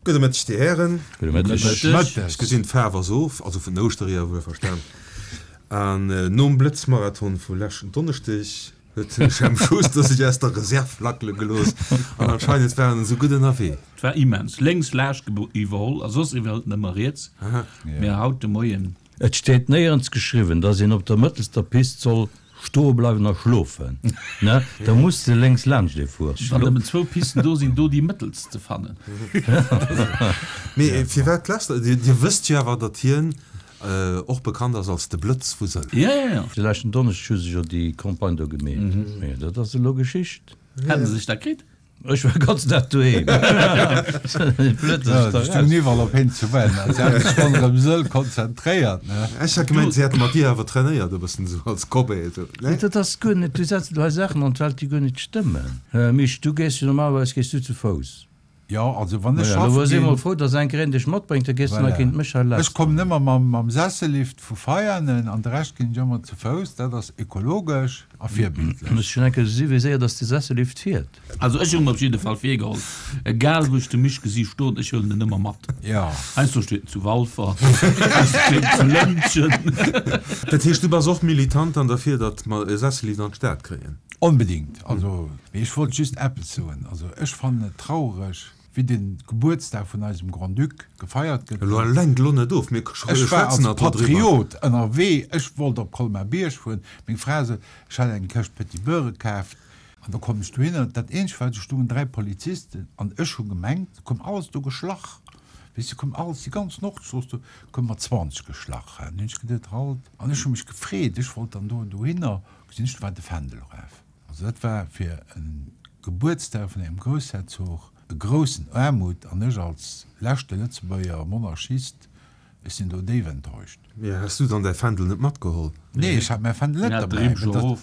Gudde Mëtteg, Dir Hären. Gudde Mëtteg. Ech gesinn, d'Faarf ass of, also vun den Ouschtereeër wuelverstan. An nom Blëtzmarathon vu leschten Donneschdeg huet den Jemp Schuster sech aus der Reserv lackele gelooss an anscheinend war en esou gutt ënnerwee. Et war immens. Lénks laascht iwwerholl a soss iwwerhëlt en ëmmer riets. Mä haut de Moien. Et steet néierens geschriwwen, dass een op der mëttelster Pist soll stoe bleiwen a schlofen, ne? Da muss de lénks laanscht ee fueren. Wann nëmmen zwou Pisten do sinn, do déi mëttelst ze fannen. Mee firwat lässt Der? Dir wësst jo awer, datt hien och bekannt ass als de Blëtz vu Sëll. Jo, jo, jo. De leschten Donneschdeg hu se jo déi Campagne do gemeet. Mee dat ass elo Geschicht. Hätte se sech dat kritt? Ech war ganz Dag doheem. Blöd, dass ech da raus. Iwwerall op heen ze wennen. Si hat sech ronderëm Sëll konzentréiert, ne? Ech hat gemengt, si hätte mat dir awer trainéiert, e bëssen esou als Cobaye, esou, ne? Dat ass guer net, du setz elo hei Saachen an d'Welt, déi guer net stëmmen. Misch, du gees jo normalerweis gees du zu Fouss. Jo, also wann ech schaffen ginn. Elo si mol frou, dass enker een dech matbréngt, da gees du nach géint mech hei lass. Ech kommen ëmmer mam Sessellift vu Veianen an de Rescht ginn ech ëmmer zu Fouss. Dat ass ökologesch a virbildlech. Muss schon enker gesi wéi séier dass de Sessellift fiert. Also ech hunn en op jidde Fall virgeholl, egal wou ech de Misch gesi stoen, ech huelen en ëmmer mat. Jo. Heiansdo steet en zu Walfer, heiansdo steet en zu Lëntgen. Dat heescht, du bass och Militant dann derfir, datt mer e Sessellift an d'Stad kréien? Onbedingt. Also, mee ech wollt just eppes soen. Also, ech fannen et traureg, wéi de Gebuertsdag vun eisem Grand-Duc gefeiert gëtt. Elo lenk elo net of, mir Ech war als schwätzen nach do driwwer. Patriot ënnerwee, ech wollt op Colmar-Bierg fueren. Meng Fra sot, ech hätt eng Këscht Petit Beurre kaaft. An da kommen ech dohinner, dat eenzegt wat, do stoungen 3 Polizisten an ech hu gemengt, koum alles do geschlach, weess de, koum alles, déi ganz Nordstrooss do, koum mat 20 geschlach. An hunn ech geduet, halt, an ech hu mech gefreet, ech wollt dann do dohinner. Gesinn ech, do war de Fändel eraf. Also dat war fir e Gebuertsdag vun engem Groussherzog e groussen Aarmut an ech als leschte Lëtzebuerger Monarchist, ech sinn do déif enttäuscht. Mee has du dann däi Fändel net matgeholl? Nee, ech hat mäi Fändel net derbäi. Du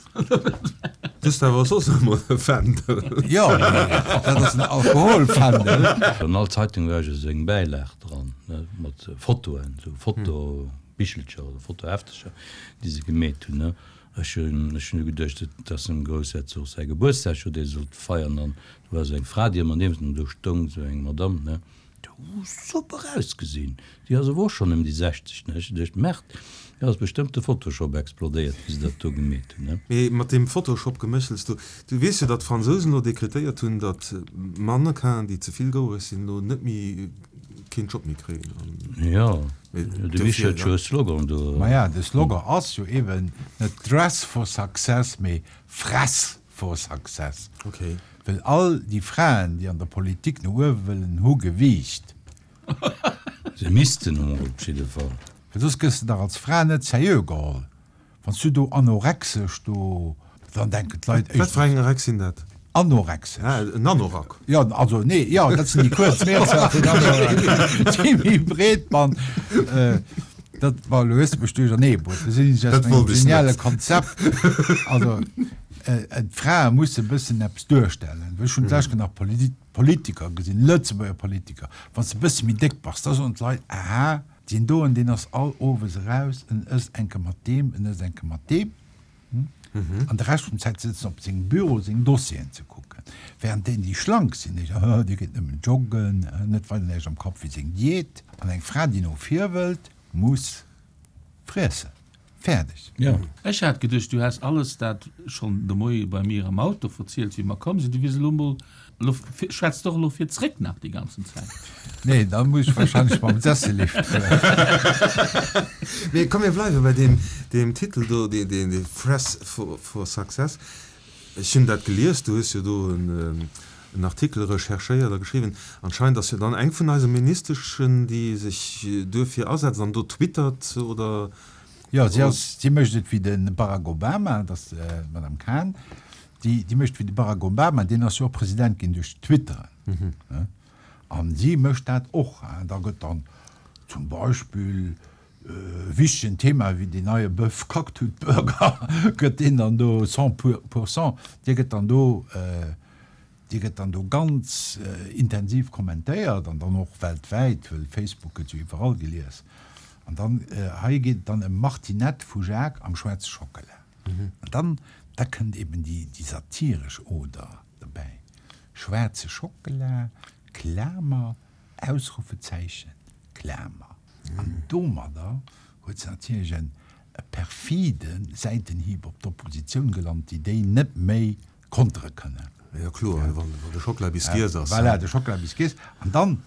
hues awer soss ëmmer e Fändel. Jo, mee dat ass en Alkoholfändel. An all Zeitung war jo esou eng Bäilag dran, ne, mat Fotoen, esou Fotobichelcher oder Fotoheftercher, déi se gemeet hunn, ne. Ech hunn ech hunn jo geduecht, et ass dem Groussherzog säi Gebuertsdag, jo, dee sollt feiern. An do war esou eng Fra, déi ëmmer niewent em do stoung, esou eng Madamm, ne, déi hu super ausgesinn. Déi ass awer och schonn ëm déi 60, ne. Ech hu geduecht, Merde, do ass bestëmmt de Photoshop explodéiert, wéi se dat do gemeet hunn, ne. Mee mat deem Photoshop-Geméchels do, du weess jo, datt d'Fransousen elo dekretéiert hunn, datt Mannequinen, déi ze vill gouereg sinn, elo net méi keen Job méi kréien. Jo. De Misch huet jo e Slogan do. Maja, de Slogan ass jo eben net Dress for success, mee Fress for success. Okay. Well all déi Fraen, déi an der Politik no uewe wëllen, hu Gewiicht. Se missten emol op jidde Fall. Well soss gëss de dach als Fra net seriö geholl. Wann s du do anorexesch do, dann denken d'Leit éischtens. Wat fir eng Rex sinn dat? Anorexesch. Ah, en Anorak. Jo, also nee, jo, dat sinn déi kuerz Meerzer vun Anorak, déi méi breet man. Dat, bon, elo hues de mech duerchernee bruet. Do sinn ech aus mengem geniale Konzept. Also, d'Frae musse e bëssen eppes duerstellen. Ech hunn d'lescht Kéier nach Politiker gesinn, Lëtzebuerger Politiker, wann s de e bësse méi déck bass, da soen d'Leit, aha, Deen doen, deen ass all owes eraus, en ësst eng Kéier mat deem, en ësst eng Kéier mat deem, an de Rescht vum Zäit sëtzt en op sengem Büro seng Dossieren ze kucken. Während deen, déi schlank sinn, déi soen, oh, dee geet nëmmen joggen, net weider näischt am Kapp wéi seng Diät. An eng Fra, déi no vir wëllt, muss friessen. Fäerdeg. Jo. Ech hat geduecht, du häss alles dat schonn de Moie bei mir am Auto verzielt, wéi mer komm sinn. Du wiers elo mol, elo schwätz doch elo fir zréck nach déi ganzen Zäit. Nee, da muss ech wahrscheinlech mam Sessellift fueren. Mee komm, mir bleiwe bei deem, deem Titel do, dee, dee, dee Fress for, for Success. Ech hunn dat gelies, du hues jo do en, en Artikel recherchéiert a geschriwwen. Anscheinend ass jo dann eng vun eise Ministeschen, déi sech duerfir asetzt an do twittert, oder? Jo, si ass, si mécht et wéi de Barack Obama, dat ass d'Madame Khan, déi, déi mécht wéi de Barack Obama, deen ass jo och President ginn duerch Twitteren. An si mécht dat och. Da gëtt dann zum Beispill e wichtegen Thema wéi deen neie Bœuf Kacktut-Burger, gëtt deen dann do cent pour cent, dee gëtt dann do, Déi gëtt dann do ganz intensiv kommentéiert an dann och weltwäit, well Facebook gëtt jo iwwerall gelies. An dann, hei geet et dann ëm Martinette vu Jacques am schwaarze Schockela. An dann, da kënnt eben déi, déi satiresch Oder derbäi, schwaarze Schockela, Klamer. Ausrufezeichen, Klamer. An domadder huet se natierlech en perfide Säitenhieb op d'Oppositioun gelant, déi déi net méi kontere kënnen. Jo kloer, wann de Schockela bis giess ass. Voilà, de Schockela bis giess. An dann,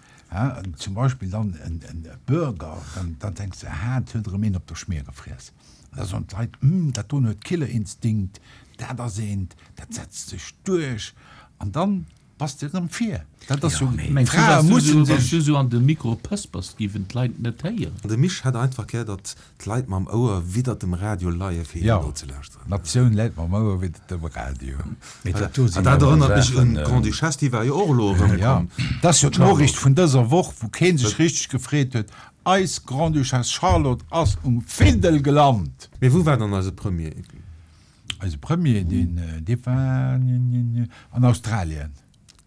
zum Beispill dann en Burger, dann denks de, aha, et huet erëm een op der Schmier gefriess. An da soen d'Leit, Hm, dat doen huet Killerinstinkt, dat ass eent, dat setzt sech duerch. An dann Bass de erëm vir? Dat ass jo, d'Frae mussen sech. Wann s du sou an de Mikro pëspers, géiwen d'Leit net héieren. De Misch hätt einfach gär, datt d'Leit mam Ouer widdert dem Radio leie fir him nozelauschteren. Jo, d'Natioun läit mam Ouer widdert dem Radio. Mee dat do sinn awer erënnert mech un d'Grande-Duchesse, déi war jo och elo erëm komm. Jo, dat ass jo d'Noriicht vun dëser Woch, wou kee sech richteg gefreet huet, Eis Grande-Duchesse Charlotte ass um Findel gelant! Mee wou war dann eise Premier? Eise Premier, deen, dee war an Australien.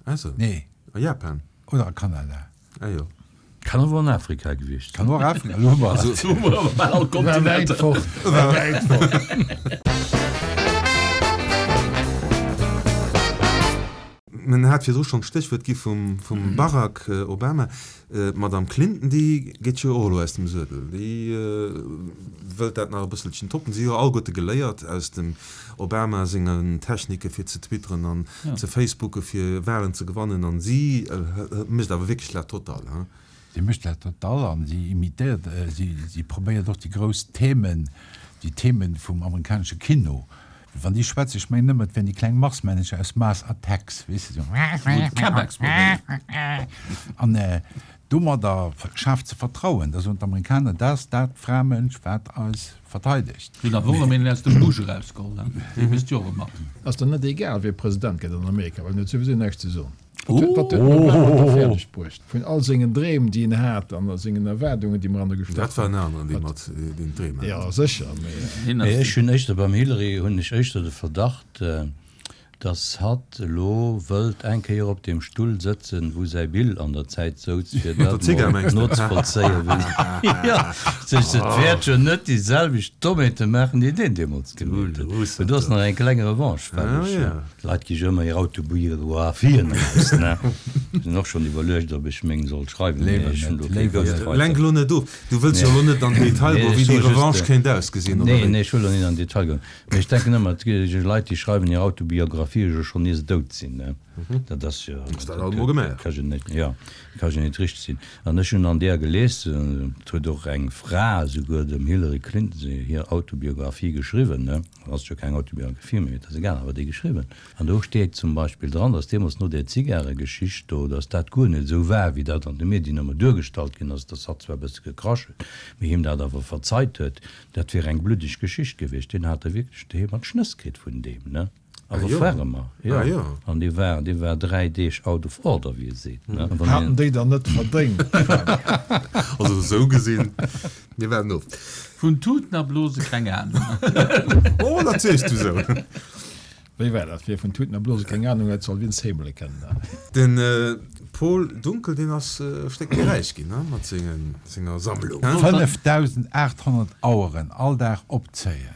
Ah sou. Nee. A Japan. Oder a Kanada. Ah jo. Kann awer an Afrika gewiescht sinn. Kann och Afrika, elo hu mer et. Elo hu mer awer bal all War wäit Kontinenter. fort, war wäit fort. Men hat virdru schonn d'Stéchwuert gi vum Barack Obama. D'Madame Clinton, déi geet jo och elo aus dem Suedel. Déi wëllt dat nach e bësselchen toppen. Si hu jo alleguerte geléiert aus dem Obama sengen Technike fir ze twitteren an ze facebooke fir Wahlen ze gewannen. An si mécht awer wierklech la totale, hein? Si mécht la totale an si imitéiert, si probéiert och déi grouss Themen, déi Themen vum amerikanesche Kino Wann déi schwätzen, ech mengen ëmmer, et wären déi kleng Marsmännecher aus Mars Attacks, weess de, Wou d'Cabexx probéieren. An domadder schaaft se Vertrauen. Da soen d'Amerikaner, dat ass dat Framënsch, wat eis verteidegt. Hunn awer och erëm een aus dem Busch erausgeholl, hein? Dee wësst jo och ëmmer. Ass dann net egal, wie President gëtt an Amerika, well en huet souwisou näischt ze soen. Wat huet wat huet den Obama da fäerdeg bruecht? Vun all sengen Dreem, déi en hat, an sengen Erwaardungen, déi mer an e gestach Dat war en aneren, dee mat deen Dreem hat. Jo, sécher, mee. Mee ech hunn éischter, beim Hillary hunn ech éischter de Verdacht, dass hatt elo wëllt eng Kéier op deem Stull sëtzen, wou säi Bill an der Zäit souz, fir dat mol nozevollzéien, wéi, jo, sech, et wäert jo net déi selwecht Dommheete maachen, déi deen deemools gemaach huet. Mee do ass nach eng kleng Revanche fälleg. D'Leit gi jo ëmmer hir Autobiografien eraus, ne? Ech hunn och schonn iwwerluecht, ob ech meng soll schreiwen, mee ech hunn do kee Ghostwriter. Lenk elo net of. Du wëlls jo elo net an den Detail goen, wéi déi Revanche kéint ausgesinn, oder wéi? Nee, nee, ech wëll elo net an den Detail goen. Mee ech denken ëmmer, et gi Leit, déi schreiwen hir Autobiografië jo schonn ier se dout sinn, ne? Dat ass jo. Ass dat alt emol gemaach. Ka jo net, jo, ka jo net richteg sinn. An ech hunn an deeër gelies, et huet och eng Fra esouguer dem Hillary Clinton hir Autobiographie geschriwwen, ne? Ass jo keng Autobiographie méi, mee et ass egal, awer déi geschriwwen. An do steet zum Beispill dran, datt deemools no där Zigaregeschicht do, datt dat guer net esou war, wéi dat an de Medien ëmmer duergestallt ginn ass, datt hatt zwar e bësse gekrasch huet, mee him dat awer verzeit huet. Dat wier eng bluddeg Geschicht gewiescht. Deen hat da wierklech doheem an d'Schnëss kritt vun deem, ne? Awer fermer, jo. An dee war, dee war 3 Deeg out of order, wéi ee seet, ne. Haten déi dann net verdéngt? Also esou gesinn, mir waarden of. Vun Tuten a Blose keng Ahnung. Oh, dat sees du sou. Wéi war dat? Wie vun Tuten a Blose keng Ahnung huet, soll Vince Heemele kennen. De Paul Dunkel, deen ass e Stéck méi räich ginn, mat senger Sammlung. 5.800 Aueren all Dag opzéien.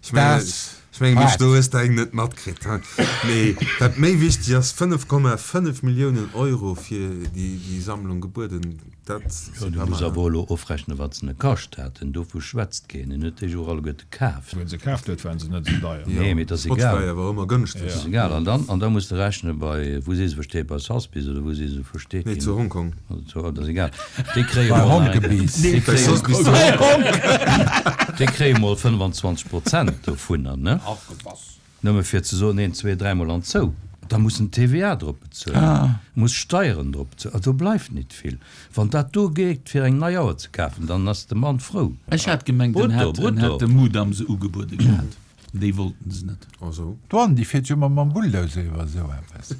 Ech mengen, ech mengen, Misch, do hues de eng net matkritt, hein? Mee wat méi wichteg ass, 5,5 Milliounen Euro fir déi Sammlung gebueden, dat Jo, du muss awer elo ofrechnen, wat se ne kascht haten. Dovu schwätzt keen. En huet déi jo och alleguerte kaaft. Wou en se kaaft huet, waren se net esou deier. Nee, mee et ass egal. Spotify war ëmmer gënschteg. Et ass egal. An dann, an da muss de rechne bei, wou si se versteet, bei Sotheby's oder wou si se versteet ginn. Nee, zu Hongkong. Oder zu, dat ass egal. Déi kréie mol nach eng, déi kréie, déi kréie mol 25 Prozent dovunner, ne? Nëmme fir ze soen, een, zwee, dräimol an zou. Da muss en TVA drop bezuelen, muss Steieren drop bezuelen. Also do bleift nit vill. Wann dat do geet fir eng nei Auer ze kafen, dann ass de Mann frou. Ech hat gemengt, en hätt, en hätt dem Mudam se ugebuede gehat. Déi wollten se net. Ah sou. D'Douane, déi fiert jo ëmmer mam Bulldozer iwwer esou eppes.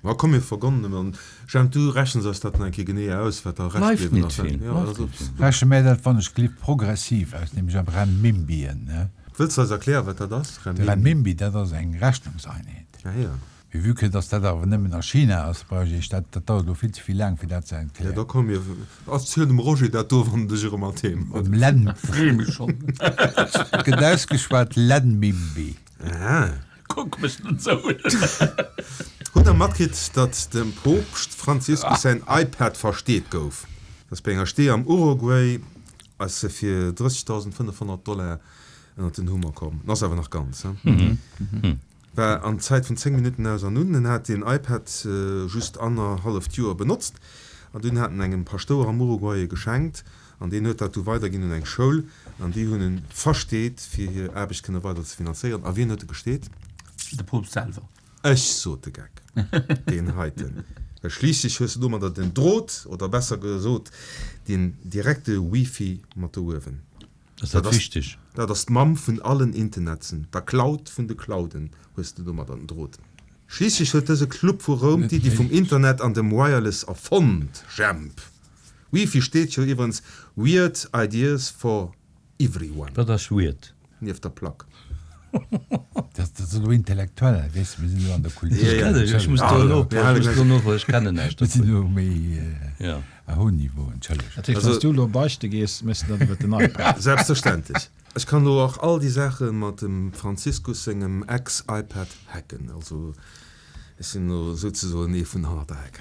Ma komm, mir vergonnen en. Jemp, du rechens eis dat nach eng Kéier genee aus, wat da Rescht bliwwen ass. Bleift net vill. Reche mär dat wann ech gelift progressiv aus, nämlech am Renminbien, ne? Wëlls de eis erklären, wat dat ass, Renminbi? De Renminbi, dat ass eng Rechnungseinheet. Ah jo. Mee vue que dass dat awer nëmmen a China ass, brauch ech dat, dat dauert elo vill ze vill laang fir dat ze Ja, erklären. da komm mir erziel dem Roger dat do, wann en dech erëm an d'Heem huet. Dem Len. Free mech schonn. Et gëtt ausgeschwat Lenmimbi. Aha. Kuck mech net esou un. Hutt. Hutt der matkritt, datt dem Poopscht Franziskus säin iPad versteet gouf? Dat ass bei enger Stee am Uruguay ass e fir 30.500 Dollar ënnert den Hummer komm. En ass awer nach ganz, he? War an Zäit vun 10 Minutten aus an un. En hat deen iPad just annerhalleft Joer benotzt an dunn hat en engem Paschtouer am Uruguay e geschenkt an deen huet dat du weiderginn un eng Schoul an déi hunn en versteet fir hir Aarbecht kënne weider ze finanzéieren. A wien huet e gesteet? De Poopst selwer. Ech sot de Geck, deen heiten, well schliisslech hues de domadder den Drot, oder besser gesot den direkte Wifi mat do uewen. Ass dat wichteg? Dat ass d'Mamm vun allen Internetsen, der Cloud vun de Clouden hues de domadder den Drot. Schliisslech huet dëse Club vu Roum d'Iddi vum Internet an dem Wireless erfonnt, Jemp. Wifi steet jo iwwerens Weird Ideas for Everyone. Wat ass weird? Nieft der Plack. Dat ass elo intellektuell, weess de, mir sinn elo an der Kultur. Ech muss do elo, ech muss do no, ech kennen näischt dovun. Mir sinn elo méi à haut niveau, entschëllegt. Dat heescht, wann s du elo beichte gees, méchs de dat iwwer den iPad? Selbstverständlech. Ech kann elo och all déi Saache mat dem Franziskus sengem Ex-iPad hacken. Also ech sinn elo souzesoen ee vun hannert der Heck.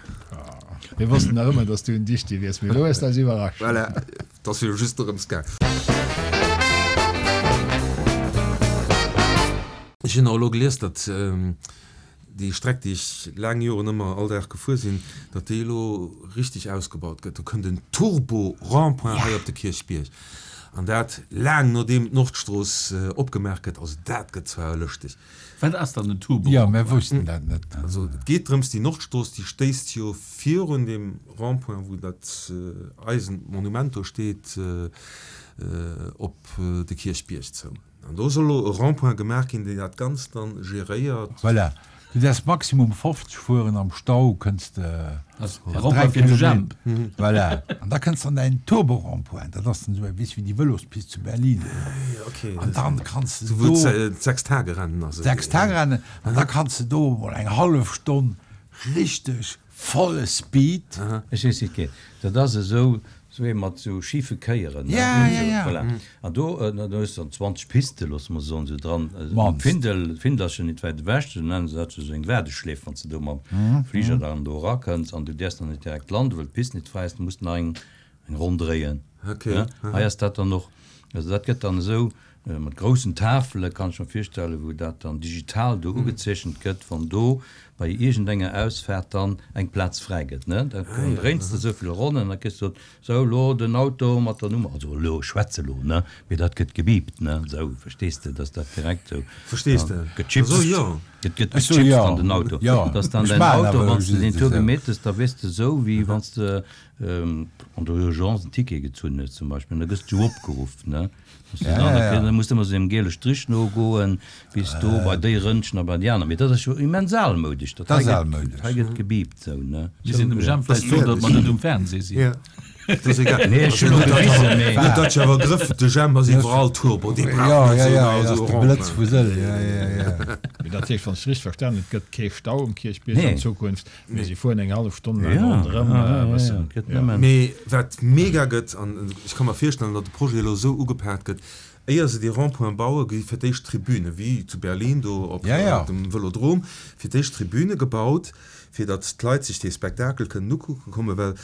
Mir wossten nach ëmmer, dass du en Dichti wiers, mee elo hues de eis iwwerrascht. Voilà. 't ass jo just dorëms gaang. Ech hunn och elo gelies, datt déi Streck, déi ech laang Joren ëmmer all Dag gefuer sinn, datt déi elo richteg ausgebaut gëtt. Do kënnt en Turbo-Rond-point hei op de Kierchbierg. An dat laang nodeem d'Nordstrooss opgemaach gëtt. Also dat gëtt zwar lëschteg. Wat ass dann en Turbo? Jo, mär woussten dat net. Also et geet drëms, déi Nordstrooss, déi stéisst jo virun deem Rond-point, wou dat eisent Monument do steet, op de Kierchbierg zou. An do soll elo e Rond-point gemaach ginn, deen dat Ganzt dann geréiert. Voilà. Du däerfs maximum 50 fueren, am Stau kënns de mat 3 Kilometer. Voilà. An da kënns de an däin Turbo-Rond-point. Dat ass dann esou eng, weess wéi déi Vëlospist zu Berlin. An dann kanns de do. D'Sechstagerennen ass et. D'Sechstagerennen. An da kanns de do emol eng hallef Stonn richteg volle Speed. Ech weess wéi et geet. Dat ass esou Sou ee mat sou schife Kéieren, ne? Ja, ja, ja. Voilà. An do, do hues de dann 20 Piste, loosse mer soen, sou dran. D'Findel, d'Findel ass jo nit wäit ewech, sou nennen se dat, sou eng Waardeschleef, wann s de do mam Fliger dann do erakënns an du däerfs dann net direkt landen, well d'Pist nit fräi ass, du muss nach eng, eng Ronn dréien. Okay. Hei ass dat dann och, also dat gëtt dann esou Mat groussen Tafele kann ech mer virstellen, wou dat dann digital do ugezeechent gëtt, wann do bei iergendenger Ausfaart dann eng Plaz fräi gëtt, ne? Da dréins de esou vill Ronnen an da kriss de gesot, sou, elo den Auto mat der Nummer, also elo, ech schwätze elo, ne, mee dat gëtt gebiipt, ne, esou, verstees de, dass dat direkt esou Verstees de? gechipst, Esou, jo. et gëtt gechipst an den Auto, dass dann däin Auto, wann s de deen Tour gemeet hues, da weess de esou, wéi wann s de an der Urgence en Ticket gezunn hues zum Beispill, an da gëss du opgeruff, ne. Da muss de ëmmer esou deem giele Strich nogoen, bis do bei déi Rëndchen a bei déi aner. Mee dat ass jo immens almoudesch. Dat ass almoudesch. Hei gëtt gebiipt esou, ne? Mir sinn dem Jemp vläicht frou, datt mer net um Fernseh sinn. Dat ass egal. Nee, ech hunn elo gewisen, mee. Huet dat jo awer Grëff, de Jemp ass iwwerall Turbo, dee brauch net esou esou e Rond-point. Blëtz vu Sëll, jo, jo, jo. Mee dat heescht, wann ech richteg verstanen hunn, et gëtt kee Stau um Kierchbierg an Zukunft. Mee si fueren eng hallef Stonn laang ronderëm e bëssen. Mee wat mega gëtt, an ech ka mer virstellen, datt de Projet elo esou ugepaakt gëtt, éier se dee Rond-point bauen, gi fir d'éischt Tribüne, wéi zu Berlin do op dem Vëlodrom, fir d'éischt Tribüne gebaut, fir datt d'Leit sech dee Spektakel kënnen ukucke kommen, well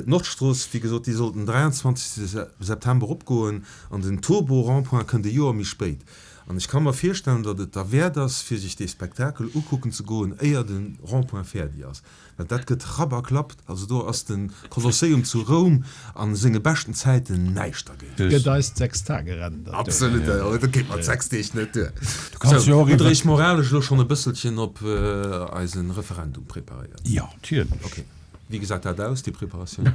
d'Nordstrooss, wéi gesot, déi soll den 23 September opgoen an den Turbo-Rond-point kënnt e Joer méi spéit. An ech ka mer virstellen, datt et derwäert ass, fir sech dee Spektakel ukucken ze goen, éier de Rond-point fäerdi ass. Well dat gëtt Rapp a Klapp. Also do ass de Kolosseum zu Roum a senge beschten Zäiten näischt dergéint. Gëtt eis d'Sechstagerennen dat duer? Absolut, dat geet mat 6 Deeg net duer. Sou, hutt Der Iech moralesch elo schonn e bësselchen op eise Referendum preparéiert? Jo, natierlech. Ok. Wéi gesäit dat aus, déi Preparatioun?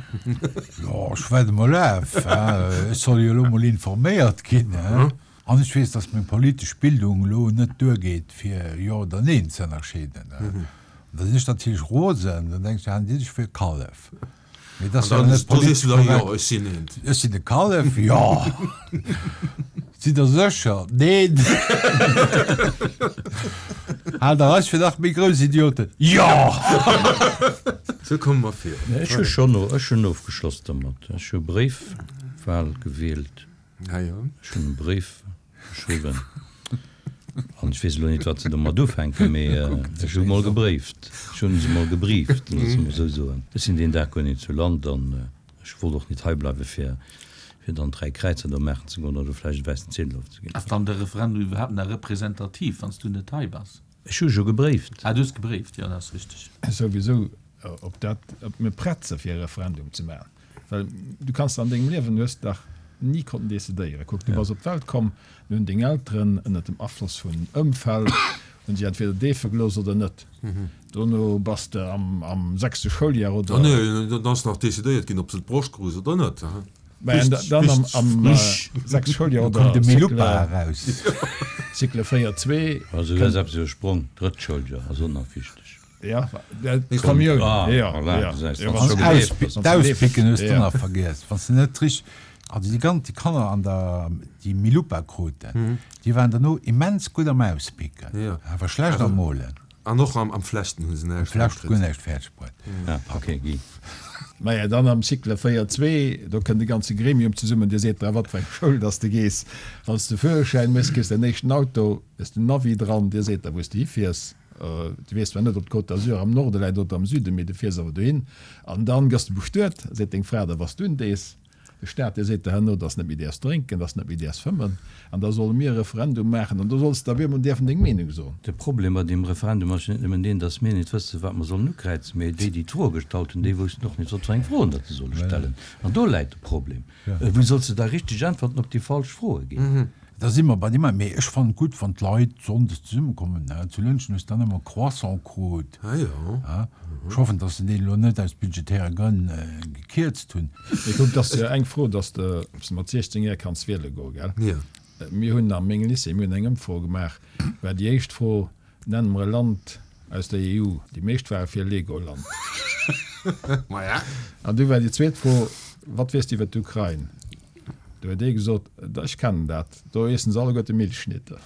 Jo, ech waarde mol af. Ech soll jo elo mol informéiert ginn. An ech weess, dass meng politesch Bildung elo net duergeet, fir Jo oder Neen ze ënnerscheeden. An da sinn ech natierlech rosen, dann denke ech, halen déi dech fir e Kallef. Mee dat ass jo net politesch korrekt. Jo, ech sinn eent. Ech sinn e Kallef, jo. Sidd Der sécher? Neen. Haalt Der eis fir nach méi grouss Idioten? Jo! Sou komme mer virun. Ech hu schonn, ech hunn ofgeschloss domat. Ech hu Bréifwahl gewielt. Ah jo. Ech hunn e Bréif geschriwwen. An ech weess elo nit, wat se domat ufänken, mee ech hu mol gebréift. Ech hunn se mol gebrieft, loosse mer esou soen. Ech sinn deen Dag guer nit zu Land an ech wollt och nit hei bleiwe fir fir dann 3 Kräizer do maachen ze goen oder vläicht e wäissen Ziedel ofzeginn. Ass dann de Referendum iwwerhaapt nach representativ, wann s du net hei bass? Ech hu jo gebréift. Ah, du hues gebréift, jo, dat ass richteg. Souwisou, ob dat, ob mir prett se fir e Referendum ze maachen, well du kanns an dengem Liewen, du hues dach ni konnten decidéieren. Kuck, du bass op d'Welt komm, du hunn deng Elteren ënnert dem Afloss vun Ëmfeld, hunn si entweder deefe gelooss oder net. Dono bass de am, am sechste Schouljar oder. Ah nee, dann ass nach decidéiert ginn, ob se d'Broscht krus oder net. Mä dann am, am sechste Schouljar oder Cycle. Koum de Milupa eraus. Cycle 4, 2. Also du hues eppes iwwersprong, d'drëtt Schouljar ass och nach wichteg. Ja, d'Kommioun. Ah, ja, voilà, ja. du säis, Ja, wann wann s du du gedeeft gedeeft bass. D'Auspicken hues du Ja. nach vergiess. Wann s de net richteg, also déi ganz, déi Kanner an der, déi Milupa kruten, déi waren derno immens gutt am Auspicken, Ja. awer schlecht am Molen. An och am Flechten hu se Am näischt Flechten guer matgekritt. näischt fäerdeg bruet. Ah, okay, Guy. Maja, dann am Cycle 4, 2, do kënnt de ganze Gremium zesummen, dir seet dra, wat fir eng Schoul dass de gees. Wann s de Führerschäin méchs, kriss däin éischten Auto, hues den Navi dran, dir seet der, wou s de hifiers. Du weess zwar net, ob d'Côte d'Azur am Norde läit oder am Süden, mee du fiers awer dohin. An dann gëss de bestuet, seet deng Fra der, was du dees. De Staat, dee seet der herno, dass net méi däerfs drénken, dass net méi däerfs fëmmen. An da solle mir e Referendum maachen an do solls de op eemol däerfen deng Meenung soen. De Problem bei deem Referendum ass jo net nëmmen deen, dass mir net wëssen, wat mer sollen ukräizen, mee déi, déi d'Froe gestallt hunn, déi woussten och net, wat fir eng Froen datt se solle stellen. An do läit de Problem. Wéi solls de da richteg Äntwerten op déi falsch Froe ginn? Da si mer bei deem, mee ech fannen et gutt, wann d'Leit sonndes zesummekommen. Zu Lëntgen hues de dann ëmmer Croissant krut. Ech hoffen, datt se deen elo net aus budgetäre Grënn gekierzt hunn. Mee kuck, et ass jo eng Fro, datt de, ob s de mat 16 Joer kanns wiele goen, gell? Mir hunn a mengem Lycée, mir hunn eng Ëmfro gemaach, war déi éischt Fro, Nenn mer e Land aus der EU. Déi meescht ware fir Legoland. An du war déi zweet Fro, Wat weess de iwwer d'Ukrain? Du huet ee gesot, Ech kennen dat, do iessen se alleguerte Milchschnitte.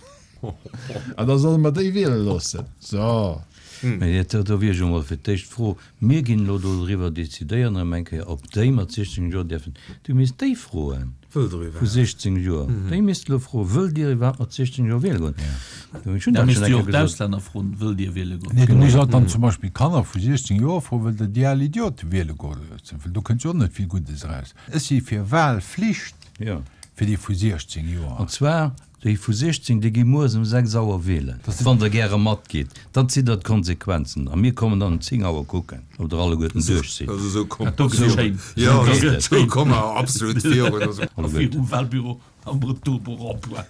An da solle mer déi wiele loossen. So. Mee do wier ech emol fir d'éischt d'Fro, Mir ginn elo doriwwer decidéieren erëm eng Kéier, ob déi mat 16 Joer dierfen. Du misst déi froen vu 16 Joer. Déi misst elo froen, Wëllt Dir iwwerhaapt mat 16 Joer wiele goen? Ech hunn dat schonn eng Kéier gesot. D'Auslänner froen, Wëllt Dir wiele goen? Nee, du misst och dann zum Beispill Kanner vu 16 Joer froen, Wëllt Der déi al Idiote wiele goen? Well do kënnt jo och net vill Guddes eraus. Ech si fir Wahlflicht fir déi vu 16 Joer. An zwar Déi vu 16, déi gi mueres um 6 Auer wielen. Wann Der gäre matgitt, dann zitt Der d'Konsequenzen a mir kommen dann um 10 Auer kucken, ob Der alleguerten duerch sidd. Also esou komme Dat do gëtt schéin. Jo, Dat gëtt esou schéin. komme mer absolut virun. Also. A virum Wahlbüro am Retour pour emploi.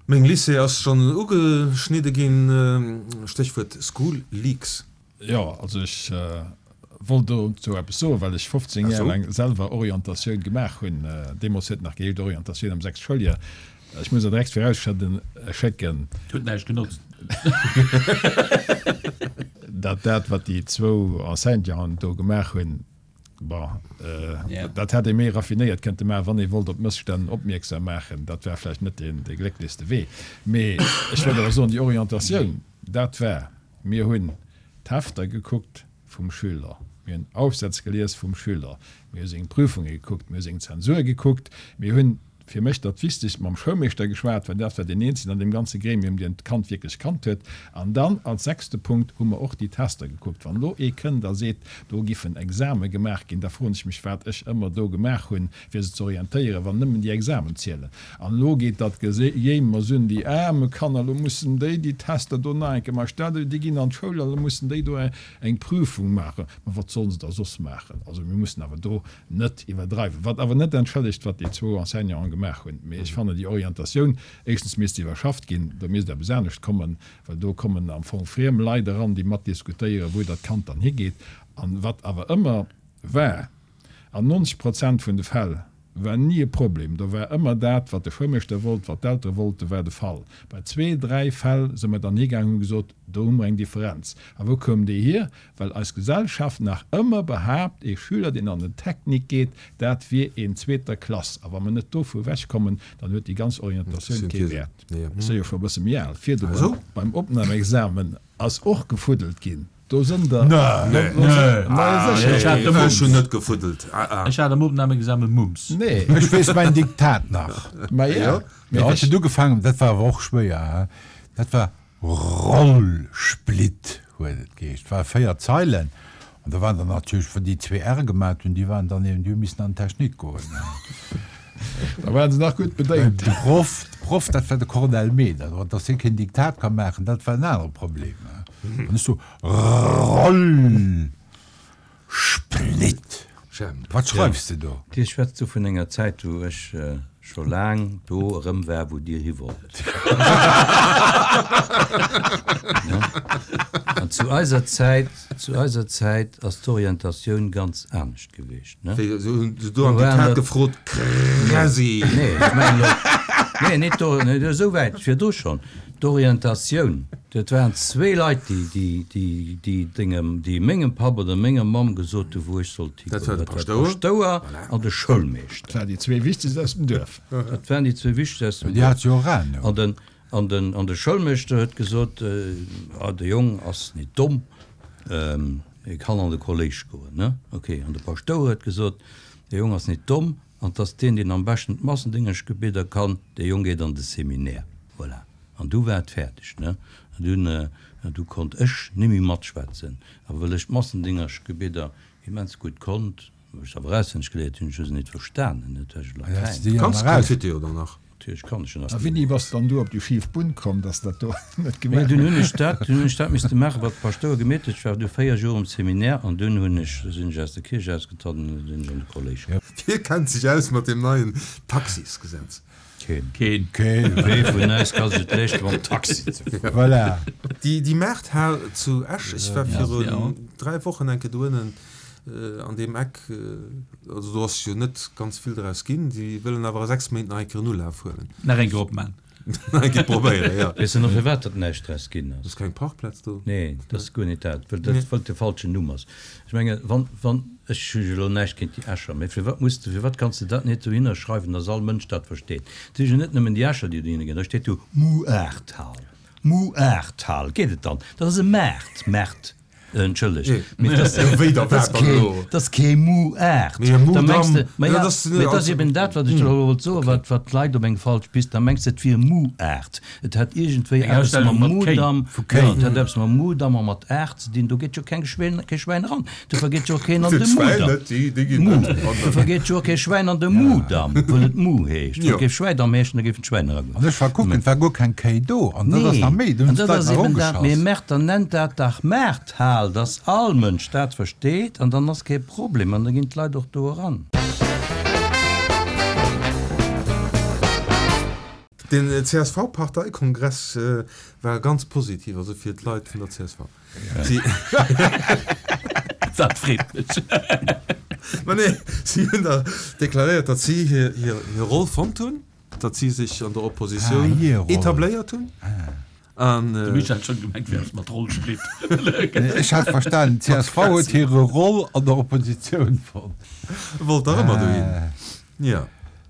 Meng Lycée ass schonn ugeschnidde ginn, Stéchwuert School Leaks. Jo, also ech wollt dozou eppes soen, well ech 15 Jar laang selwer Orientatioun gemaach hunn. Deemools huet et nach geheescht Orientatioun am sechste Schouljoer. Ech muss awer direkt virausschécken. Huet näischt genotzt. Datt dat, wat déi zwou Enseignanten do gemaach hunn, bon, dat hätt ee méi raffinéiert kënnte maachen, wann ee wollt op Mësstänn opmierksam maachen. Dat war vläicht net dee glécklechste Wee. Mee ech wollt awer soen, déi Orientatioun, dat war Mir hunn d'Hefter gekuckt vum Schüler, mir hunn Aufsätz gelies vum Schüler, mir hu seng Prüfunge gekuckt, mir hu seng Zensur gekuckt, mir hunn, fir mech dat Wichtegst, mam Schoulmeeschter geschwat, well dat war deen eenzegen an deem ganze Gremium, deen d'Kand wierklech kannt huet. An dann als sechste Punkt hu mer och déi Tester gekuckt. Wann elo ee kënnt a seet, do giffen Exame gemaach ginn, da froen ech mech, wat ech ëmmer do gemaach hunn, fir se ze orientéieren, wann nëmmen déi Examen zielen. An elo geet dat Gejéimers un, déi aarme Kanner, elo mussen déi déi Tester do nach eng Kéier maachen, stell der, déi ginn an d'Schoul an elo mussen déi do eng Prüfung maachen. Ma wat sollen se da soss maachen? Also mir mussen awer do net iwwerdreiwen. Wat awer net entschëllegt, wat déi zwou Enseignanten gemaach hunn. Mee ech fannen déi Orientatioun, éischtens misst iwwerschafft ginn, do misst eppes anescht kommen, well do kommen am Fong friem Leit eran, déi mat diskutéieren, wou dat Kand dann higeet. An wat awer ëmmer war, An 90 Prozent vun de Fäll war ni e Problem. Do war ëmmer dat, wat de Schoulmeeschter wollt, wat d'Eltere wollten, war de Fall. Bei zwee, dräi Fäll si mer dann higaangen, hu gesot, do hu mer eng Differenz. A wou koum déi hier? Well eis Gesellschaft nach ëmmer behaapt, ee Schüler, deen an den Technique geet, dat wier een zweeter Klass. A wa mer net dovu ewechkommen, dann huet déi ganz Orientatioun kee Wäert. Ech si jo scho e bësse méi al. Virdru beim Opnamexamen ass och gefuddelt ginn. Do sënn der. Nee. Nee. Ma sécher. Ech hat de Ech hunn Mumps. net gefuddelt. Ah, ah. Ech hat am Opnahmeexamen Mumps. Nee. Ech weess mäin Diktat nach. Ma ja. Jo. Mee Jo, ech. et huet ugefaangen, dat war awer och schwéier, he, dat war Rollsplitt huet et geheescht. Et ware 4 Zeilen an da waren der natierlech, wann déi zwee R gemat hunn, déi waren dann eben, déi hu missen an d'Technik goen. Da waren se nach gutt bedéngt. De Proff, de Proff, dat war de Cornel Meder, dass hie keen Diktat ka maachen, dat war en anere Problem. An ech so, Rollsplitt. Wat schreifs de do? Dir schwätzt do vun enger Zäit, wou ech scho laang do erëm war, wou Dir hi wollt. An zu eiser Zäit, zu eiser Zäit ass d'Orientatioun ganz anescht gewiescht. Wéi, se hunn se do am Diktat gefrot, Kräsi? Nee, ech mengen elo, nee, net do, net esou wäit, virdru schonn, d'Orientatioun, dat waren zwee Leit, déi, déi, déi, déi dengem, déi mengem Papp oder menger Mamm gesot hu wou ech sollt higoen. Dat war de Dat war de Paschtouer. Paschtouer an de Schoulmeeschter. Dat waren déi zwee wichtegst aus dem Duerf. Dat waren déi zwee wichtegst aus dem Déi Duerf. hat jo och Ahnung. An den, an den, an de Schoulmeeschter huet gesot, Ah, de Jong ass net domm, E kann an de Kolléisch goen, ne? Ok. An de Paschtouer huet gesot, De Jong ass nit domm, an 't ass deen, deen am beschten d'Massendéngeschgebieder kann, dee Jong geet an de Seminaire. Voilà. An du war et fäerdeg, ne? An dunn, du konnt ech nimmi matschwätzen. A wëll ech d'Massendéngerschgebieder immens gutt konnt, hu ech se awer auswenneg geléiert hunn, ech hu se nit verstanen, net well ech Latäin. Kanns de Confiteor dann nach? Natierlech kann ech en A wéini bass de dann du op déi schif Bunn komm, dass de dat do net Mee gemaach dunn hunn hues? ech dat, dunn hunn ech dat misste maachen, wat de Paschtouer gemeet huet. Ech war du 4 Joer um Seminaire an dunn hunn ech, sinn ech aus der Kierch ausgetratt an sinn ech an de Kolléisch gaangen. Wie kennt sech aus mat deem neien Taxisgesetz? Keen. Keen. Keen. Wee vun eis ka sech et leeschten, mam Taxi ze fueren? Voilà. Déi, déi Maarthal zu Esch, ech war virun 3 Wochen eng Kéier doënnen an deem Eck, also do ass jo net ganz vill draus ginn, déi wëllen awer a 6 Méint nach eng Kéier en Ulaf huelen. Nach eng Kéier opman. Nach eng Kéier probéieren, jo. Weess de nach firwat datt näischt draus ginn ass? Ass keng Parkplaz do? Nee, dat ass guer net dat, well dat well et de falschen Numm ass. Ech menge wann, wann, ech hu jo elo näischt géint déi Escher, mee firwat muss de, firwat kanns de dat net dohinner schreiwen, datt all Mënsch dat versteet? Et si jo net nëmmen déi Escher, déi dohinner ginn, da steet do Muarthal, Muarthal, geet et dann? Dat ass e Maart, Maart. Entschëllegt, mee dat ass kee, dat ass kee Muart. Da mengs de, ma ja, mee dat ass eben dat, wat ech der elo wollt soen, wat, wat d'Leit op eng falsch Pist, da mengs de, et wier Muart. Et hätt iergendwéi eppes mam Mudam, jo, et hätt eppes mam Mudam a mat Aart ze dinn. Do geet jo keng Schwäin, kee Schwäin eran. Dofir geet jo och keen an de Mudam. Mu, dofir geet jo och kee Schwäin an de Mudam, wëll et Mu heescht. Wann et géif Schwäidam heeschen, da géifen d'Schwäin eragoen. An ech war kucken, et war guer keng Kéi do. An dat ass nach méi, do An hunn dat d'Leit ass nach eben dat, mee erogeschass. Merter nennt dat dach Maarthal, dass all Mënsch dat versteet an dann ass kee Problem an da ginn d'Leit och do eran. Den CSV-Parteikongress war ganz positiv, also fir d'Leit vun der csv. Si. Dat freet mech. Ma nee, si hunn da deklaréiert, datt si hir Roll fonnt hunn. Datt si sech an der Oppositioun etabléiert hunn. An. De Michel hat schonn gemengt, wéi ass mat Rollsplitt. Ech hat verstanen, d'CSV huet hire Roll an der Oppositioun fonnt. Wollt dach ëmmer dohin. Jo.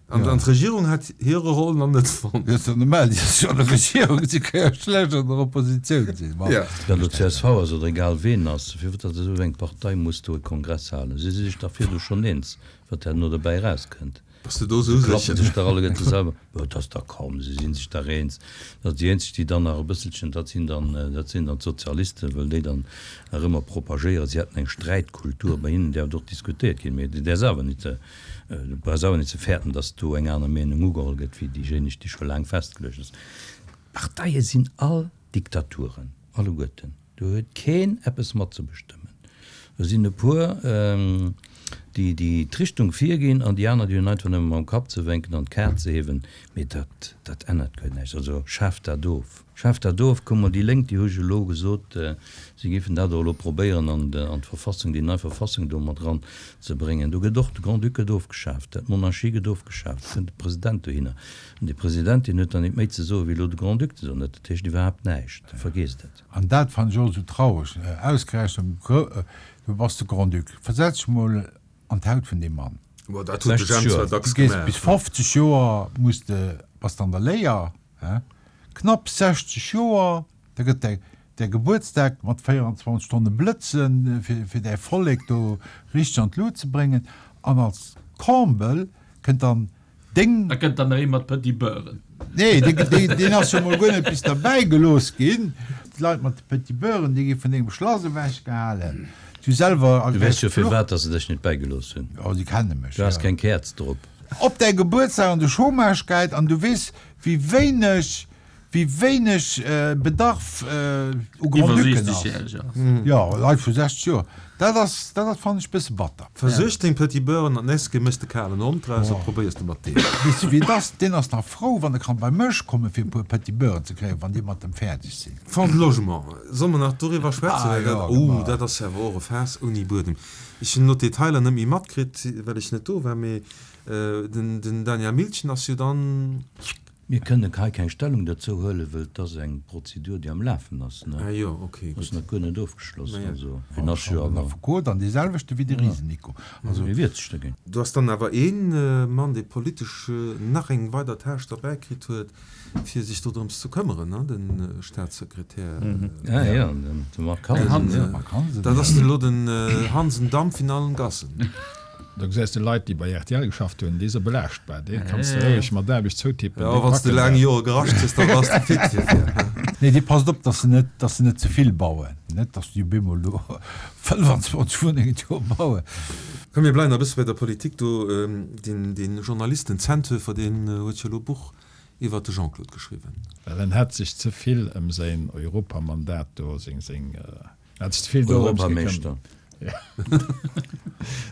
An d'Regierung hat hire Roll nach net fonnt. Jo, ass jo normal, déi ass jo an der Regierung, si ka jo schlecht an der Oppositioun sinn. Bon. Ob dat elo csv ass oder egal ween ass, firwat datt esou eng Partei muss do e Kongress halen? Si si sech dach virdu schonn eens, wat herno dobäi erauskënnt. Bass de do sou Se klappen sécher? sech dach alleguerte selwer. Jo, et ass da kaum, se si sech dach eens. Dat déi eenzeg, déi dann nach e bësselchen, dat sinn dann, dat sinn dann d'Sozialisten, wëll déi dann nach ëmmer propagéieren, si hätten eng Sträitkultur. Bei hinnen däerf et och diskutéiert ginn, mee du däerfs awer net, du brauchs awer net ze fäerten, datt do eng aner Meenung ugeholl gëtt wéi déijéineg, déi scho laang festgeluecht ass. D'Parteie sinn all Diktaturen, alleguerten. Do huet keen eppes matzebestëmmen. Do sinn e puer, déi déi d'Richtung virginn an déi aner, déi hunn einfach nëmme mam Kapp ze wénken an d'Kaart ze hiewen. Mee dat, dat ännert guer näischt. Also schaaft dat of! Schaaft dat of! Kuck mol, déi Lénk, déi hu jo elo gesot, si géifen dat och elo probéieren an d'Verfassung, déi nei Verfassung do mat eran ze bréngen. Do gëtt och, de Grand-Duc gëtt ofgeschaaft, d'Monarchie gëtt ofgeschaaft, et kënnt e President dohinner. An dee President, deen huet dann nit méi ze soen, wéi elo de Grand-Duc ze soen huet. Dat heescht iwwerhaapt näischt. Vergeesst et. An dat fannen ech och esou traureg, ausgerechent, du bass de Grand-Duc, versetz dech mol an d'Haut vun deem Mann. Bon, dat huet de 60 Jemp Joer. zwar dacks Du gees gemaach. bis 50 Joer, muss de, bass de an der Léier, he, knapp 60 Joer, da gëtt däi. Däi Gebuertsdag mat 24 Stonne blëtzen, fir däi Vollek do richteg an d'Lut ze bréngen. An als Comble kënnt dann deng. Da kënnt dann nach ee mat Petit Beuren. Nee, deen ass jo mol guer net bis derbäi gelooss ginn. D'Leit mat de Petit Beuren, déi gi vun dengem Schlass ewech gehalen. Du selwer Du weess jo firwat, dass se dech net bäigelooss hunn. Jo, si kenne mech, Du has keng Käerz drop. Op däi Gebuertsdag an de Chômage geit an du weess, wéi wéineg Wéi wéineg Bedarf u Grand-Ducken ass. Jo, Leit vu 60 Joer, dat ass, dat ass, fannen ech, bësse batter. Versuerg deng Petit Beuren an nächst Kéier méchs de kalen Hond draus a probéiers de mat deem. Weess de wéi et ass, deen ass nach frou, wann e kann bei mech kommen, fir e puer Petit Beuren ze kréien, wann déi mat em fäerdeg sinn. Fonds de Logement, solle mer nach doriwwer schwätzen? Ah jo, oh, dat ass jo awer och e Faass ouni Buedem. Ech hunn elo d'Detailer net méi matkritt, well ech net do war, mee den Daniel Milchen ass jo dann. Mir kënnen hei keng Stellung derzou huelen, wëll et ass eng Prozedur, déi am Lafen ass. Ah jo, ok, gutt. Ass nach guer net ofgeschloss. Also, hien ass jo awer. Den Affekot an dee selwechte wéi de Riesen Nico. Also. Hie wiert sech dogéint. Do ass dann awer ee Mann, dee politesch nach eng weider Tâche derbäi kritt huet, fir sech dodrëms ze këmmeren, ne, de Staatssekretär. Ah jo, de Marc Hansen. Marc Hansen. Dat ass elo den Hansen Dampf in allen Gassen. Do gesäis de Leit, déi bei rtl geschafft hunn, déi se belaaschtbar. Dee kanns de roueg mat Aarbecht zoutippen. Jo, wann s de laang Jore gerascht hues, da bass de fit fir fir. Nee, dee passt op, dass se net, dass se net ze vill bauen. Net, dass déi op eemol do 25 Wunnengen d'Joer bauen. Komm, mir bleiwen nach e bësse bei der Politik do. Deen, deen Journalist, den Zenthöfer, deen huet jo elo e Buch iwwert de Jean-Claude geschriwwen. Well en hätt sech ze vill ëm säin Europamandat do, seng, seng, Hat sech ze vill dorëms Europameeschter.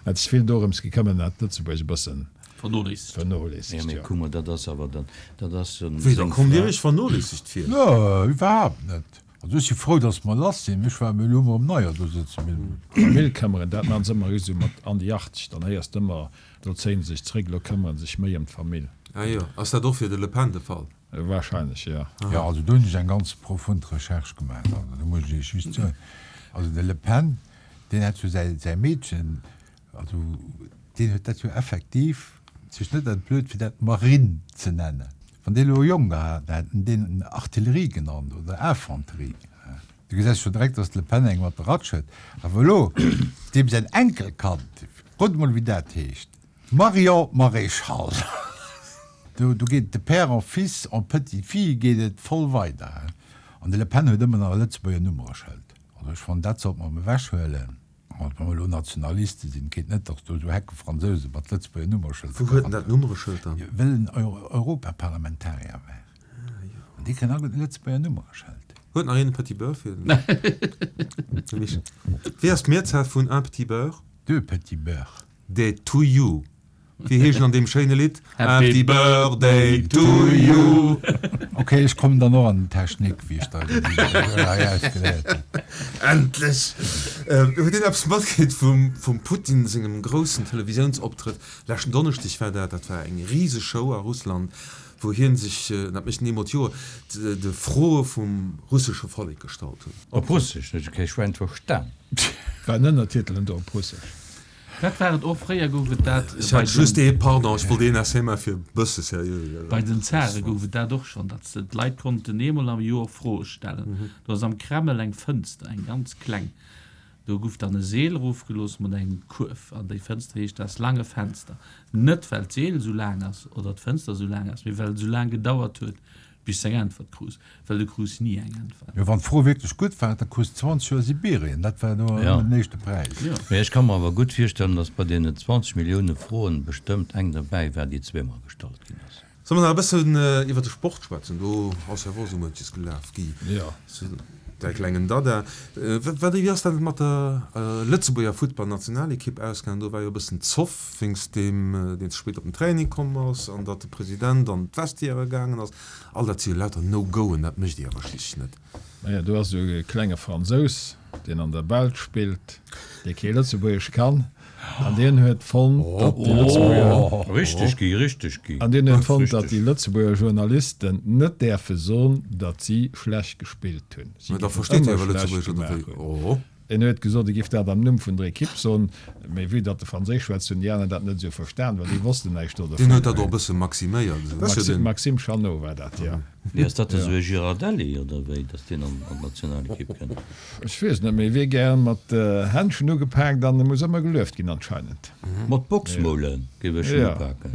Hat sech vill dorëms gekëmmert, hat Lëtzebuerg e bëssen Vernoléissegt. vernoléissegt, Jo, mee jo. kuck mol, dat ass awer dann, dat ass Wéi, da seng kommt Dir Fra. Iech vernoléissegt vir? Nö, iwwerhaapt net. Also ech si frou, dass mer lass sinn. Ech war elo emol um Neier do sëtzen. Famill këmmeren, dat maachen se ëmmer just esou mat an déi 80, dann héiers de ëmmer, elo zéien se sech zréck, elo këmmere se sech méi ëm d'Famill. Ah jo, ass dat och fir de Le Pen de Fall? Wahrscheinlech, jo. Jo, also do hunn ech eng ganz profund Recherche gemaach. Also do muss ech Iech just soen, also de Le Pen, deen hat jo säi, säi Meedchen, also deen huet dat jo effektiv sech net entblöd fir dat Marine ze nennen. Wann dee elo e Jong gehat hätt, hätt en deen Artillerie genannt oder Infanterie. Du gesäis scho direkt, dass de Le Pen eng mat der Ratsch huet. Awer elo deem säin Enkelkand, rot emol wéi dat heescht. Marion Maréchal, Do geet et de père en fils en petite fille geet et voll weider. An de Le Pen huet ëmmer nach e Lëtzebuerger Nummereschëld. Also ech fannen, dat sollt mer emol ewechhuelen. Wa mer elo Nationaliste sinn, et geet net, datt do esou Hecke Fransouse mat Lëtzebuerger Nummereschëlder Wou huet en dat Nummereschëld dann? Well en Europaparlamentarier war. An dee kritt alleguerten e Lëtzebuerger Nummereschëld. Huet nach een e Petit Beurre fir de Michel? Wéi ass d'Mehrzahl vun un petit beurre? Deux petits beurres. Day to you. Wéi heescht en an deem schéine Lidd? Happy Birthday to you. Ok, ech kommen dann och an den Technik, wéi ech da hei ausgeléiert hunn. Endlech! Huet een eppes matkritt vum vum Putin sengem groussen Televisiounsoptrëtt leschten Donneschdeg war dat? Dat war eng riseg Show a Russland, wou hien sech, dat mécht en eemol d'Joer, de Froe vum russesche Vollek gestallt huet. Op Russesch? Huet jo kee Schwäin verstan. War en Ënnertitelen do op Russesch? Dat war et och. Fréier gouf et dat Ech hat just ee, pardon, ech wollt een Essai maachen, fir e bësse seriö. Bei den Zare gouf et dat och schonn, datt se d'Leit konnten eemol am Joer Froe stellen. Do ass am Kreml eng Fënster, eng ganz kleng. Do gouf dann e Seel erofgelooss mat engem Kuerf. An déi Fënster heescht das lange Fenster. Net well d'Seel esou laang ass oder d'Fënster esou laang ass, mee well et esou laang gedauert huet, Bis s eng Äntwert krus, well du krus ni eng Äntwert. Jo, wann d'Fro wierklech gutt war, da krus de 20 Joer Sibirien, dat war do Ja. den éischte Präis. Jo. Mee ech ka mer awer gutt virstellen, datt bei deenen 20 Millioune Froen bestëmmt eng derbäi war, déi zweemol gestallt ginn ass. Solle mer nach e bëssen iwwer de Sport schwätzen? Do ass jo och esou muenches gelaf, Guy. Jo. Däi klengen Dada. Wat, wéi ass dat mat der Lëtzebuerger Futtballnationalekipp ausgaangen? Do war jo e bëssen Zoff wéinst deem, deen ze spéit op den Training komm ass an datt de President an d'Vestiaire gaangen ass. All dat si jo lauter No-Goen, dat mécht Dir awer schliisslech net. Naja, do ass esou e klenge Fransous, deen an der Belsch spillt, dee kee Lëtzebuergesch kann. An deen huet fonnt, datt déi Lëtzebuerger. Richteg gi, richteg gi. An deen huet fonnt, datt déi Lëtzebuerger Journalisten net däerfe soen, datt si schlecht gespillt hunn. Si géifen ëmmer schlecht gemaach hunn. En huet gesot, e géif dat am Numm vun der Ekipp soen, mee vue datt e Franséisch schwätzt, hunn déi aner dat net esou verstan, well déi wossten näischt do dovun. Deen huet dat och e bësse maximéiert. Maxime Chanot war dat, jo. Mee ass dat esou e Girardelli oder wéi, datt deen an d'Nationalekipp kënnt? Ech weess net, mee e wier gär mat Händschen ugepaakt an e muss ëmmer gelueft ginn anscheinend. Mat Boxmoule géif ech en upaken.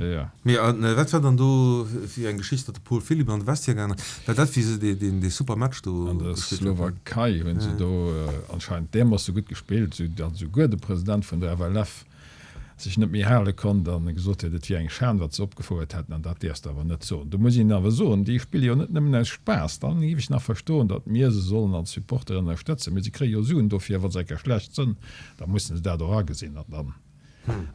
Mee wat war dann do fir eng Geschicht, datt de Paul Philipp an de Vestiaire gaangen ass? War dat wéi se dee super Match do An der gespillt haten? Slowakei hunn se do anscheinend därmoosse gutt gespillt, sou datt esouguer de President vun der FLF sech net méi hale konnt an gesot huet, et wier eng Schan, wat se opgefouert hätten, an dat däerfs de awer net soen. Do muss een awer soen, déi spille jo net nëmmen aus Spaass. Dann géif ech nach verstoen, datt mir se sollen als Supporter ënnerstëtzen, mee se kréie jo Suen dofir. Wa se eng Kéier schlecht sënn, da musse se dat och agesinn an dann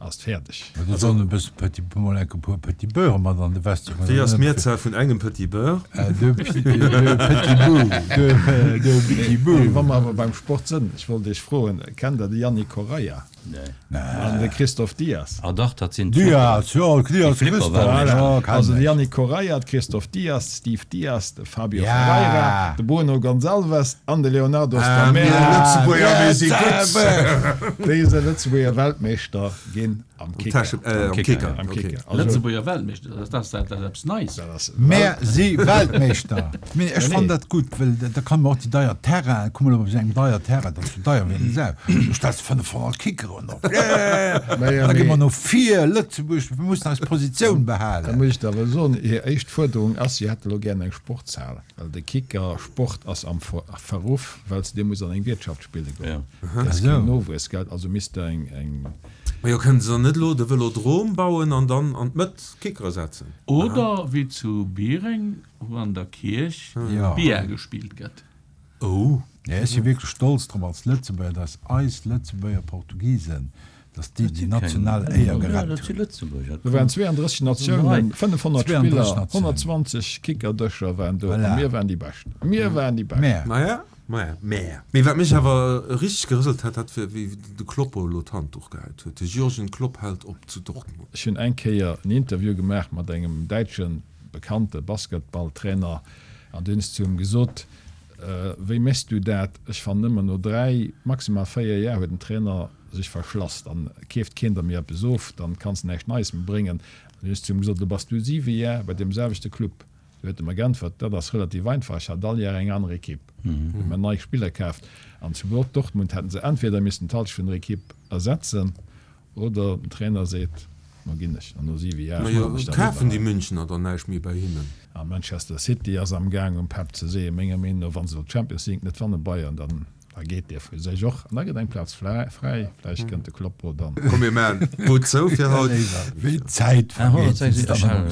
ass et fäerdeg. Mä do sollen e bësse Petit, mol enk e puer Petit Beurre mat an de Vestiaire. Wéi ass d'Mehrzahl vun engem Petit Beurre? Deux petits bouts, deux petits bouts. Wa mer awer beim Sport sënn, ech wollt Iech froen, kennt Der de Yannick Correia? An de Christophe Dias. Ah dach, dat sinn d'Flipper. Dias, jo, Dias Christophe, voilà. Also de Yannick Correia, de Christophe Dias, de Steve Dias, de Fabio Ferreira, de Bruno Gonçalves an de Leonardo Stamerra. Mir Lëtzebuerger, mir si gutt! Déi si Lëtzebuerger Weltmeeschter ginn am Kicker. Am Kicker, am Kicker. Lëtzebuerger Weltmeeschter, dat ass dat eppes Neis. Mär si Weltmeeschter! Mee ech fannen dat gutt, well da kann mer och déi deier Terrainen, kuck mol op esou engem deier Terrain, dat ass jo deier wéi eng Sau, do stells de 500 Kickeren op, yeah! Da gi mer no vir, Lëtzebuerg, mir mussen eis Positioun behalen. Da muss ech der awer soen, hir éischt Fuerderung ass, si hätte elo gären eng Sportshal, well de Kickersport ass am Verruff, well s de muss an eng Wiertschaft spille goen, dat ass keen Nowuessgeld, also misst der eng. Majo, kënnen se dann net elo de Vëlodrom bauen an dann an d'Mëtt Kickere setzen? Oder wéi zu Biereng, Wou an der Kierch Billard gespillt gëtt. Oh. Nee, ech si wierklech stolz drop als Lëtzebuerger, dass eis Lëtzebuerger Portugisen, dass déi déi national Éier gerett hunn. Do waren 32 Natiounen, 500 Spiller, 120 Kickerdëscher waren do a mir waren déi Bescht. Mir waren déi Bescht. Maja, maja, mä. Mee wat mech awer richteg gerëselt hat, dat war wéi de Kloppo elo d'Handduch gehäit huet. De Jürgen Klopp hält op zu Dortmund. Ech hunn eng Kéier en Interview gemaach mat engem däitschen bekannte Basketballtrainer an du hunn ech zu him gesot, Wéi méchs du dat? Ech fannen ëmmer no 3, maximal 4 Jar huet en Trainer sech verschlass, dann keeft keen der méi eppes of, dann kanns de näischt Neies méi bréngen. An du hunn ech zu him gesot, Lo bass du 7 Jar bei deem selwechte Club. Du huet e mer geäntwert, Dat ass relativ einfach, ech hat all Jar eng aner Ekipp, hu mer nei Spiller kaaft an zu Dortmund hätten se entweder missten d'Halschent vun der Ekipp ersetzen, Oder den Trainer seet, Mo ginn ech an no 7 Jar Majo, ech dann kafen déi Münchener dann näischt méi bei hinnen? A Manchester City ass am Gaang um Pep ze seeën. Menger Meenung no, wa se elo d'Champions League net wannen, Bayern, dann da geet dee vu sech och an da gëtt eng Plaz fräi. Vläicht kënnt de Kloppo dann. Komm mir maachen d'Bud zou fir haut. Wéi d'Zäit vergeet, wéi s de dann erëm.